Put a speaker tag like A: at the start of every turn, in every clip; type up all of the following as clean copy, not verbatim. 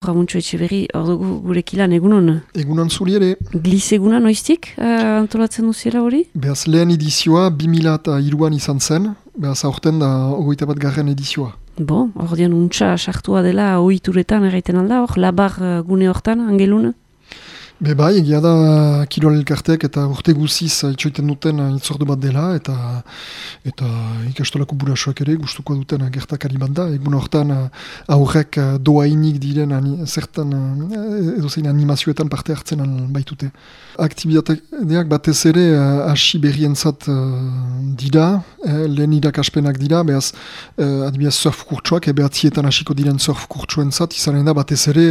A: Ramuntxo Etxeberri, ordu gurekilan egunon.
B: Egunon zuri ere.
A: Gliz eguna noiztik antolatzen duziela hori?
B: Behaz lehen edizioa 2003an izan zen, behaz aurten da 21. edizioa.
A: Bo, ordean untxa sartua dela ohituretan erraiten alda, hor labar gune hortan, angelun?
B: Bai, egia da kirol elkarteak eta urte guziz itxoiten duten itzordu bat dela eta ikastolako burasoak ere gustuko duten gertakari bat da. Egun hortan aurrek doainik diren zertan edozein animazioetan parte hartzen baitute. Aktibitateak batez ere hasi berrientzat dira, lehen irakaspenak dira, behaz adibidez surf kurtsuak, behatzietan hasiko diren surf kurtsuentzat, izanen da batez ere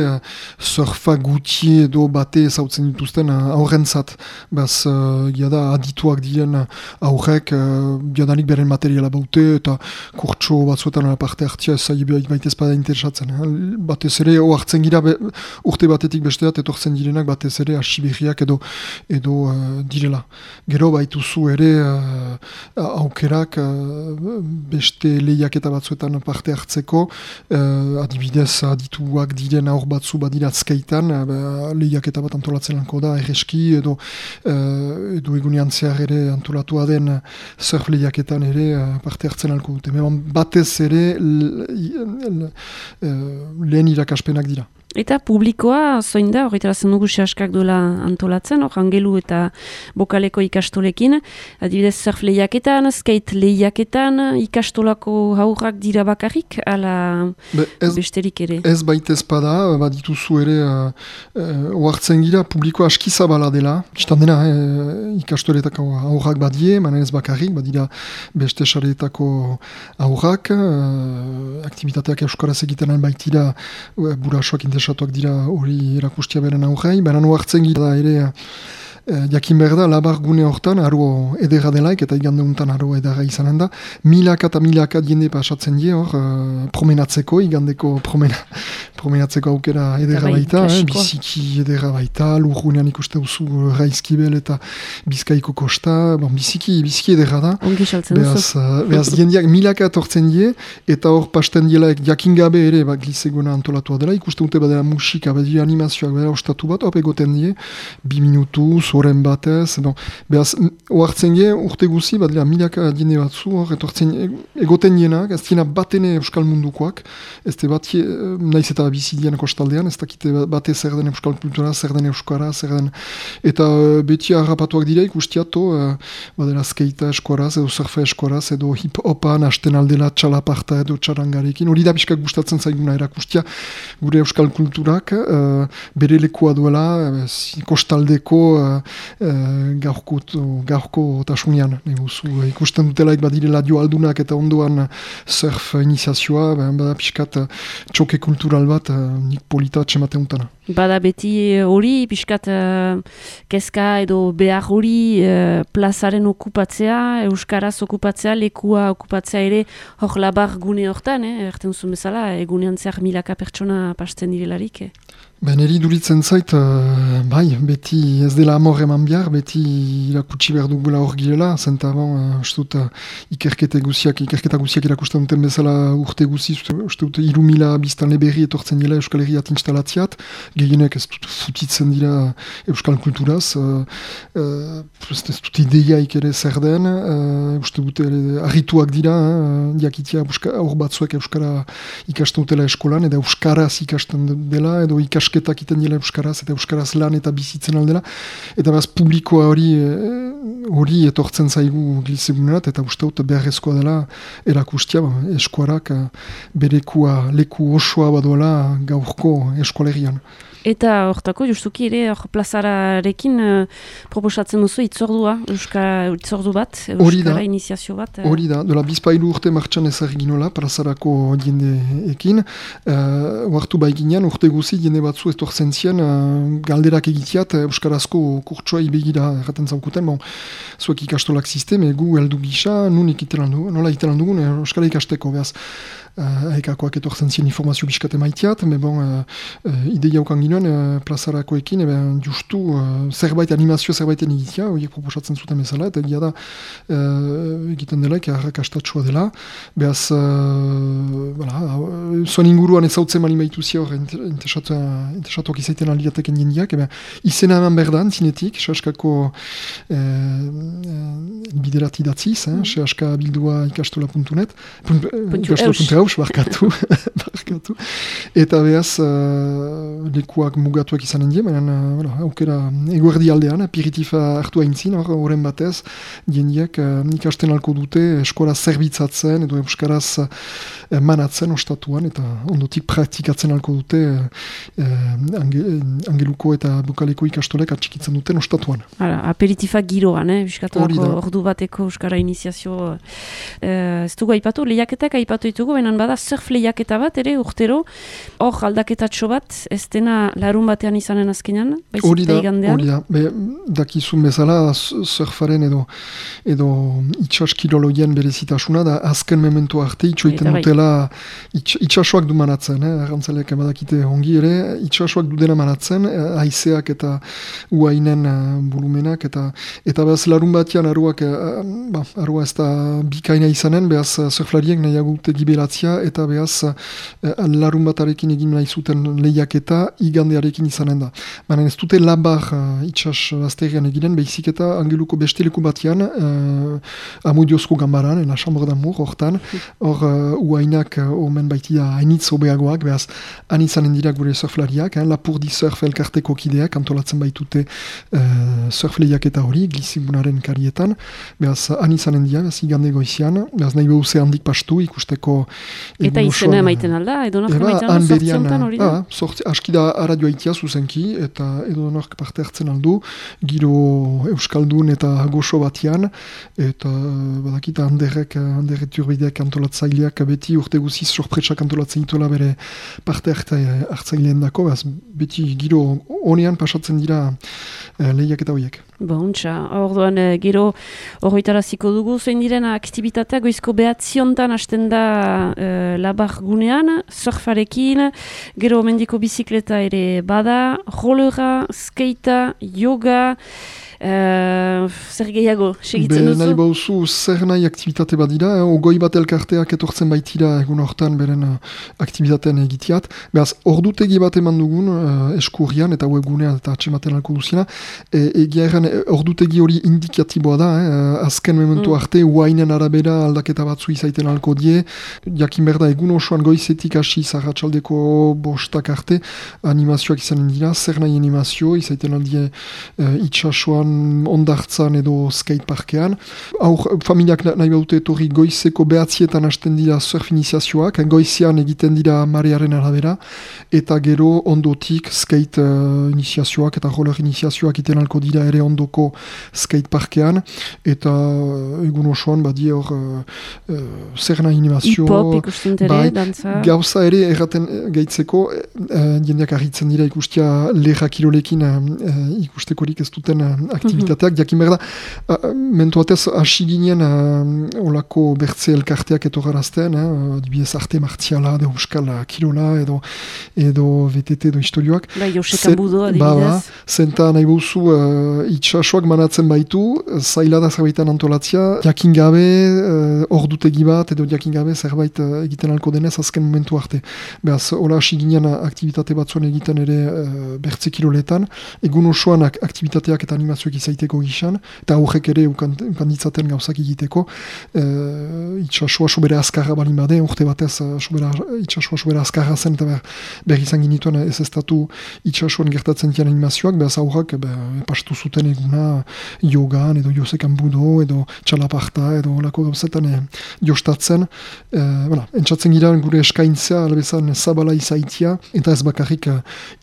B: surfa guti edo bate zautzen dituzten aurrentzat. Behaz, da adituak diren aurrek, jadanik beren materiala baute eta kurtso batzuetan parte hartzia baitez bada interesatzen. Batez ere, hartzen gira urte batetik besteat etortzen direnak batez ere hasi berriak edo direla. Gero baituzu ere aukerak beste lehiaketa batzuetan parte hartzeko, adibidez adituak diren aur batzu badira azkaitan, lehiaketa bat antolatzen lanko da, erreski edo egunean zehar ere antolatua den surf lehiaketan ere parte hartzen alko dute. Batez ere lehen irakaspenak dira.
A: Eta publikoa zoin da, horretara zen dugu sehaskak duela antolatzen, hor angelu eta bokaleko ikastolekin, adibidez surf lehiaketan, skate lehiaketan, ikastolako haurrak dira bakarrik, ala besterik ere?
B: Ez baitez bada, badituzu ere oartzen gira, publikoa aski zabala dela, kistan dena ikastoletako haurrak badie, manen ez bakarrik, badira beste sareetako haurrak, aktivitateak euskaraz egiten baitira burasoak interesatuak dira hori erakustia beren aurrei, baina oartzen gira da ere jakin behar da, labar gune hortan, aro edera delaik, eta igande untan aro edera izanen da, milaka eta milaka jende pasatzen die hor, promenatzeko, igandeko promenatzeko aukera edera baita, biziki edera baita, lurgunean ikuste duzu Raizkibel eta Bizkaiko kosta, biziki edera da.
A: Ongi saltzen duzu.
B: Behaz jendeak milaka etortzen die, eta hor pasten dielaek jakin gabe ere, glizeguna antolatua dela, ikuste dute badela musika, badira animazioak, badela ostatu bat, hop egoten die, 2 minutu, zoren batez, behaz, oartzen die, urte guzi, badela milaka jende batzu, hor, egoten dienak, ez diena batene euskal mundukoak, ez de bat, naiz eta bizidien kostaldean, ez dakite bate zer den euskal kultura, zer den euskara, zer den, eta beti harrapatuak dira ikustiato, badela skeita eskoraz, edo surfa eskoraz, edo hip-hopan, hasten aldela txalaparta edo txarangarekin, hori da bizkak gustatzen zaiguna erakustia, gure euskal kulturak, bere lekua duela, kostaldeko gaurko tasunian. Ikusten dutelaik badirela joaldunak eta ondoan surf iniziazioa, bada pixkat txoke kultural bat, nik polita txematen utana.
A: Bada beti hori, pixkat kezka edo behar hori plazaren okupatzea, euskaraz okupatzea, lekua okupatzea ere hor labar gune hortan, erten zuen bezala, egunean zehar milaka pertsona pasten direlarik.
B: Neri duritzen zait, beti ez dela amor eman behar, beti irakutsi behar dugula hor girela, zenta ikerketa guziak irakusten duten bezala urte guzi, uste dut 3.000 biztan leberri etortzen dira Euskal Herriat installatziat, gehienek ez dut futitzen dira Euskal Kulturaz, ez dut ideiaik ere zer den, uste dut harrituak dira, jakitia hor batzuek Euskara ikasten dutela eskolan, edo Euskaraz ikasten dela, edo ikasketak iten dela Euskaraz, eta Euskaraz lan eta bizitzen aldela, eta behaz publikoa hori etortzen zaigu glizegunerat, eta uste dut beharrezkoa dela erakustia, eskuarak berekua leku osoa badoela gaurko eskolerian.
A: Eta hortako, justuki ere, plazararekin proposatzen duzu itzordua, itzordu bat, euskara iniziazio bat.
B: Hori da, dola bizpailu urte martxan ezaginola, plazarako jendeekin, huartu baiginean, urte guzi jende batzu etortzen zien, galderak egitiat, euskarazko kurtsoa ibegira erraten zaukuten, zuek ikastolak sisteme, gu heldu gisa, nola itelan dugun, euskara ikasteko, behaz. aekakoak etortzen zien informazio biskate maiteat, me bon, ideia ukan ginoen plazarakoekin, justu zerbait animazio zerbaiten egitea, horiek proposatzen zuten bezala, eta egia da egiten dela, arrakastatsua dela, behaz, zuen inguruan ezautzen mali maituzia hor, interesatuak izaiten aliateken jendiak, izena eman berdan, zinetik, sehaskako biderat idatziz, sehaska bildua ikastola.net, ikastola.eus, barkatu, eta behaz, lekuak mugatuak izanen die, baina aukera eguerdi aldean, apiritifa hartu haintzin, horren batez, jendiak ikasten alko dute eskola zerbitzatzen edo euskaraz manatzen ostatuan, eta ondotik praktikatzen alko dute angeluko eta bukaleko ikastolek atxikitzen duten ostatuan.
A: Aperitifak giroan, biskatuako ordu bateko euskara iniziazio. Ez dugu aipatu, lehiaketak aipatu ditugu, baina bada surf lehiaketa bat, ere urtero, hor aldaketatxo bat, ez dena larun batean izanen azkenean, baizik eta igandean.
B: Hori da, dakizun bezala surfaren edo itxas kiroloien berezitasuna, da azken memento arte itxoiten dutela itxasoak du manatzen, arrantzaleak badakite ongi ere, itxasoak du dena manatzen, haizeak eta uainen volumenak, eta behaz larun batean arua ez da bikaina izanen, behaz surflariek nahiago dute gibelatzia, eta behaz larun batarekin egin nahi zuten lehiaketa igandearekin izanen da. Baina ez dute labar itxas azterian eginen, behizik eta angeluko besteleku batean amudiozko gambaran, la chambre d'amour, hortan, hor uainak omen baitida hainitz obeagoak, behaz han izanen dira gure surflariak, Lapurdi surf elkarteko kideak antolatzen baitute surf lehiaketa hori, glizibunaren karietan, behaz han izanen dira, behaz igande goizian, behaz nahi behuze handik pastu ikusteko...
A: Eta izena emaiten alda, edonak emaiten alda, sortziontan hori da?
B: Aski da aradioa itia zuzenki, eta edonak parte hartzen aldu, giro euskaldun eta goxo batian, eta badakita handerrek turbideak antolatzaileak beti urte guziz sorpresak antolatzen itola bere parte hartzaileen dako, beti giro honean pasatzen dira lehiak eta horiek.
A: Bontxa, orduan gero horretaraziko dugu, zein diren aktibitatea goizko behatziontan hasten da labar gunean, surfarekin, gero mendiko bizikleta ere bada, rollera, skatea, yoga, zer gehiago, segitzen duzu?
B: Nahi bauzu, zer nahi aktivitate badira, ogoi bat elkarteak etortzen baitira egun hortan beren aktivitateen egiteat. Beraz, ordutegi bat eman dugun eskurrian eta webgunean eta atxematen alko duzina. Egia erran, ordutegi hori indikatiboa da, azken momentu arte, uainen arabera aldaketa batzu izaiten alko die. Jakin berda, egun osoan goizetik hasi zarratxaldeko bostak arte, animazioak izanen dira, zer nahi animazio, izaiten aldie itxasoan ondartzan edo skateparkean. Aur, familiak nahi baute etorri goizeko behatzietan hasten dira surf iniziazioak, goizean egiten dira marearen arabera, eta gero ondotik skate iniziazioak eta roller iniziazioak iten alko dira ere ondoko skateparkean, eta egun osoan badie hor zer nahi animazio.
A: Hip-hop ikusten ere, dantza.
B: Gauza ere erraten gaitzeko, jendeak arritzen dira ikustia leha kirolekin ikustekorik ez duten aktivitateak, jakin behar da, mentuatez hasi ginen olako bertze elkarteak etorarazten, adibidez arte martiala, de euskal kirola, edo VTT, edo historioak.
A: Josekan budo, adibidez.
B: Zenta nahi buzu itxasoak manatzen baitu, zaila da zerbaitan antolatzia, jakin gabe, ordutegi bat, edo jakin gabe zerbait egiten alko denez azken momentu arte. Beaz, hola hasi ginen aktivitate batzuen egiten ere bertze kiroletan, egun osoan aktivitateak eta animazioak izaiteko gizan, eta aurrek ere ukanditzaten gauzak egiteko, itxasua sobera azkarra balin bade, urte batez itxasua sobera azkarra zen, eta behar izan ginituen ez estatu itxasuan gertatzen dian animazioak, behaz aurrak pastu zuten eguna yogan, edo josekan budo, edo txalaparta, edo lako gauzetan jostatzen. Entzatzen gira gure eskaintzea, albezan zabala izaitia, eta ez bakarrik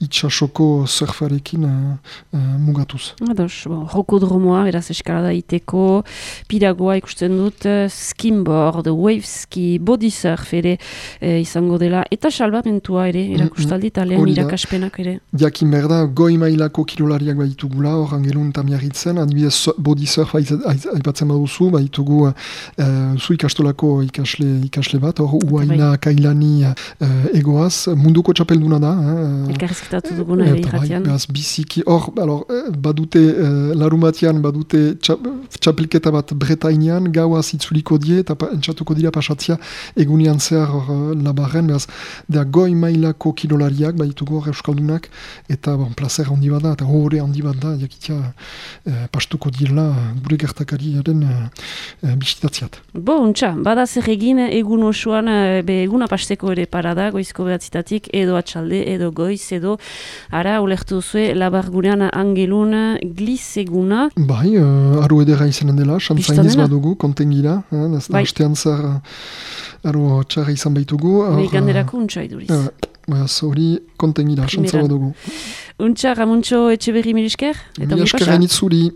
B: itxasoko surfarekin mugatuz.
A: Ados, rokodromoa, beraz eskalada iteko, piragoa ikusten dut, skimboard, waveski, body surf ere izango dela, eta salbamentua ere, erakustaldi talean irakaspenak ere.
B: Jakin berda, goi mailako kirolariak baitugula, hor angelun tamiarritzen, adibidez body surf aipatzen baduzu, baitugu zu ikastolako ikasle bat, hor Uaina Kailani egoaz, munduko txapelduna da.
A: Elkarrizketatu duguna ere irratian.
B: Biziki, hor, badute larumatian, badute txapelketa bat Bretainean, gauaz itzuliko die, eta entxatuko dira pasatzia egunian zehar labarren, behaz, da goi mailako kirolariak, baitugu hor euskaldunak, eta placer handi bat da, eta horre handi bat da, jakitia pastuko direla gure gertakariaren bisitatziat.
A: Untxa, bada zer egin egun osoan, eguna pasteko ere parada, goizko behatzitatik, edo atxalde, edo goiz, edo ara, ulertu zue, labargunean angelun glizeguna.
B: Bai, aro edera izanen dela, xantzainiz badugu, kontengira, hastean zar aro txarra izan baitugu.
A: Ganderako untxa iduriz.
B: Hori kontengira, xantzara dugu.
A: Untxa, Ramuntxo Etxeberri Milisker?
B: Milisker hainitzuri.